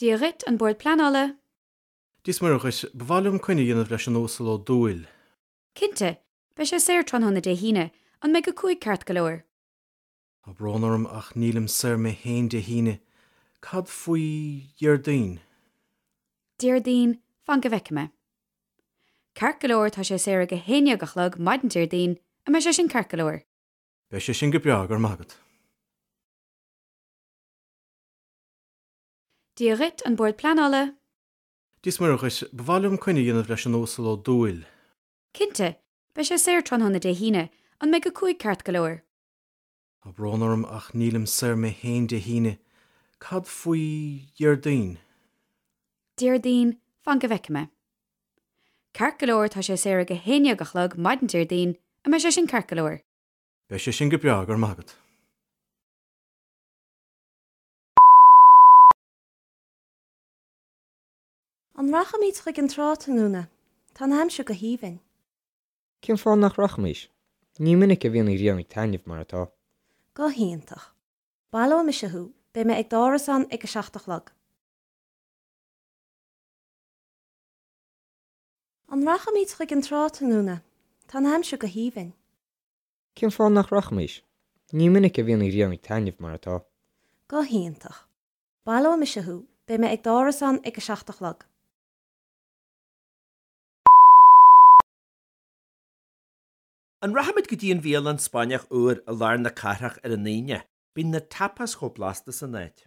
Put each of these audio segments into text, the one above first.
Dia dhuit, An Bord Pleanála. Dia is Muire dhuit, ba mhaith liom coinne a dhéanamh leis an Uasal Ó Dúill. Cinnte, beidh sé saor tráthnóna Dé hAoine, an mbeidh 5 ceart go leor? Tá brón orm ach nílim saor mé féin Dé hAoine. Cad faoi Dhéardaoin? Déardaoin, fan go bhfeicfidh mé. Ceart go leor, tá sé saor ag 11 a chlog maidin Déardaoin, an mbeidh sé sin ceart go leor? Beidh sé sin go breá, go raibh maith agat. Dia dhuit, An Bord Pleanála. Dia is Muire dhuit, ba mhaith liom coinne a dhéanamh leis an Uasal Ó Dúill. Cinnte, beidh sé saor tráthnóna Dé hAoine, an mbeidh 5 ceart go leor? Tá brón orm ach nílim saor mé féin Dé hAoine. Cad faoi Dhéardaoin? Déardaoin, fan go bhfeicfidh mé. Ceart go leor, tá sé saor ag 11 a chlog maidin Déardaoin, an mbeidh sé sin ceart go leor? Beidh sé sin go breá, go raibh maith agat. An rachaimid chuig an trá tráthnóna? Tá an aimsir go haoibhinn. Cén fáth nach rachaimis? Ní minic a bhíonn an ghrian ag taitneamh mar atá. Go hiontach. Baileoidh mise thú, beidh mé ag d'árasán ag a 7 a chlog. An rachaimid chuig an trá tráthnóna? Tá an aimsir go haoibhinn. Cén fáth nach rachaimis? Ní minic a bhíonn an ghrian ag taitneamh mar atá. Go hiontach. Baileoidh mise thú, beidh mé ag d'árasán ag a 7 a chlog. An rachaimid go dtí an bhialann Spáinneach úr i lár na cathrach ar an Aoine? Bíonn na tapas chomh blasta san áit.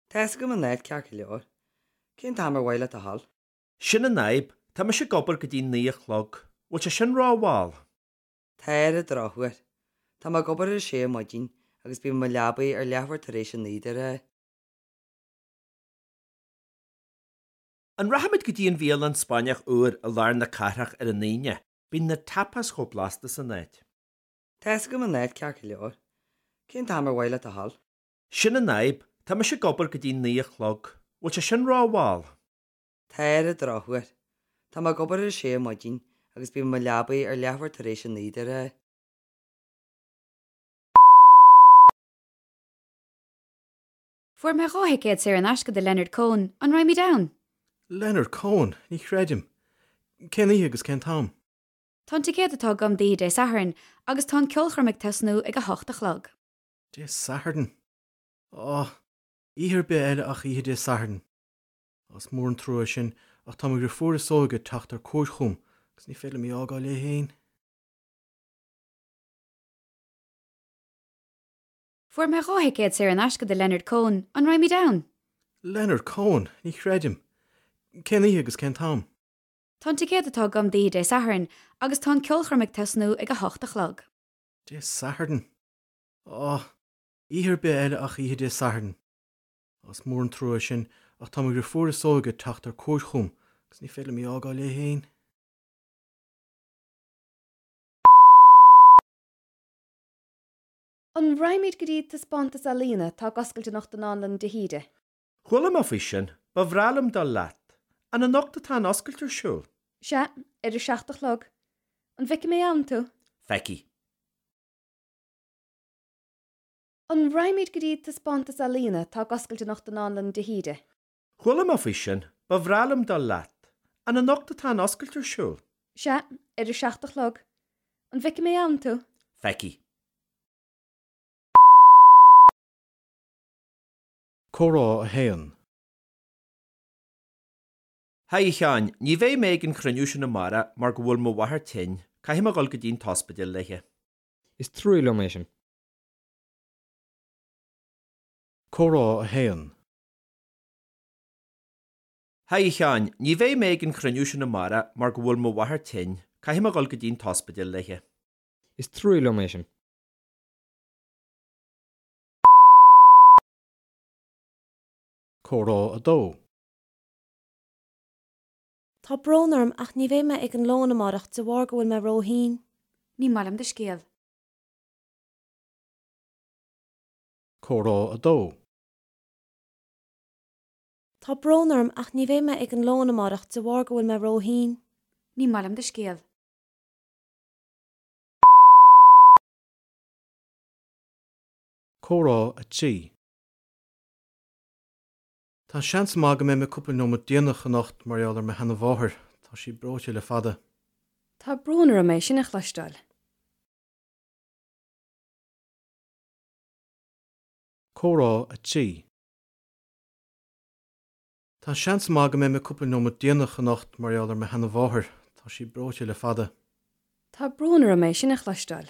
Tá fhios agam an áit ceart go leor. Cén t-am ar mhaith leat a dhul? Sin an fhadhb, tá mise ag obair go dtí 9 a chlog. Bhfuil sé sin rómhall? Tá ar an drochuair. Tá mé ag obair ar a sé ar maidin agus bím i mo leabaidh ar leathuair tar éis a 9 de ghnáth. An rachaimid go dtí an bhialann Spáinneach úr i lár na cathrach ar an Aoine? Bíonn na tapas chomh blasta san áit. Tá fhios agam an áit ceart go leor. Cén t-am ar mhaith leat a dhul? Sin an fhadhb, tá mise ag obair go dtí 9 a chlog. Bhfuil sé sin rómhall? Tá ar an drochuair. Tá mé ag obair ar a sé ar maidin agus bím i mo leabaidh ar leathuair tar éis a 9 de ghnáth. Fuair mé 2 thicéad saor in aisce do Leonard Cohen, an raghaimid ann? Leonard Cohen? Ní chreidim. Cén oíche agus cén t-am? Tá an ticéad atá agam d'oíche Dé Sathairn agus tá an ceolchoirm ag tosnú ag 8 a chlog. Dé Sathairn? Á, oíche ar bith eile ach oíche Dé Sathairn. Á, is mór an trua é sin, ach tá mo dhriofúr is óige ag teacht ar cuairt chugam agus ní féidir liom í a fhágáil léi féin. Fuair mé 2 thicéad saor in aisce do Leonard Cohen, an raghaimid ann? Leonard Cohen? Ní chreidim. Cén oíche agus cén t-am? Tá an ticéad atá agam d'oíche Dé Sathairn agus tá an ceolchoirm ag tosnú ag 8 a chlog. Dé Sathairn? Á, oíche ar bith eile ach oíche Dé Sathairn. Á, is mór an trua é sin, ach tá mo dhriofúr is óige ag teacht ar cuairt chugam agus ní féidir liom í a fhágáil léi féin. An raghaimid go dtí taispeántas ealaíne atá ag oscailt anocht i nDánlann de hÍde? Chuala mé faoi sin. Ba bhreá liom dul leat. An anocht atá an oscailt ar siúl? Sea, ar a 7 a chlog. An bhfeicfidh mé ann tú? Feicfidh. An raghaimid go dtí taispeántas ealaíne atá ag oscailt anocht i nDánlann de hÍde? Chuala mé faoi sin. Ba bhreá liom dul leat. An anocht atá an oscailt ar siúl? Sea, ar a 7 a chlog. An bhfeicfidh mé ann tú? Feicfidh. Comhrá 1. Haigh a Sheáin, ní bheidh mé ag an chruinniú sin amárach mar go bhfuil mo mháthair tinn, caithfidh mé dhul go dtí an t-ospidéal léi. Is trua liom é sin. Comhrá 1. Haigh a Sheáin, ní bheidh mé ag an chruinniú sin amárach mar go bhfuil mo mháthair tinn, caithfidh mé dhul go dtí an t-ospidéal léi. Is trua liom é sin. Comhrá 2. Tá brón orm ach ní bheidh mé ag an lón amárach de bharr go bhfuil mé róthinn. Ní maith liom do scéal. Comhrá 2. Tá brón orm ach ní bheidh mé ag an lón amárach de bharr go bhfuil mé róthinn. Ní maith liom do scéal. Comhrá 3. Tá seans maith go mbeidh mé cúpla nóiméad déanach anocht mar gheall ar mo sheanamháthair, tá sí breoite le fada. Tá brón orm é sin a chloisteáil. Comhrá 3. Tá seans maith go mbeidh mé cúpla nóiméad déanach anocht mar gheall ar mo sheanamháthair, tá sí breoite le fada. Tá brón orm é sin a chloisteáil.